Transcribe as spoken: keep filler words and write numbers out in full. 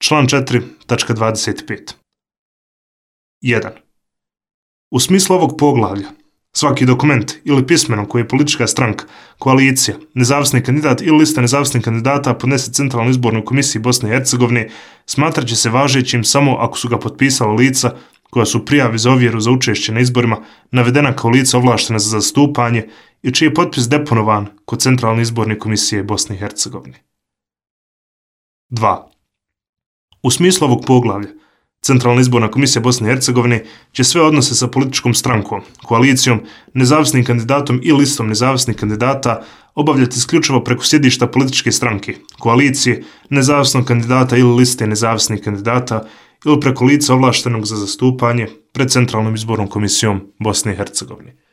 Član četiri tačka dvadeset pet. jedan. U smislu ovog poglavlja, svaki dokument ili pismeno koji je politička stranka, koalicija, nezavisni kandidat ili lista nezavisnih kandidata podnese Centralnoj izbornoj komisiji Bosne i Hercegovine smatrat će se važećim samo ako su ga potpisala lica koja su u prijavi za ovjeru za učešće na izborima navedena kao lica ovlaštena za zastupanje i čiji je potpis deponovan kod Centralne izborne komisije Bosne i Hercegovine. dva. U smislu ovog poglavlja, Centralna izborna komisija Bosne i Hercegovine će sve odnose sa političkom strankom, koalicijom, nezavisnim kandidatom i listom nezavisnih kandidata obavljati isključivo preko sjedišta političke stranke, koalicije, nezavisnog kandidata ili liste nezavisnih kandidata ili preko lica ovlaštenog za zastupanje pred Centralnom izbornom komisijom Bosne i Hercegovine.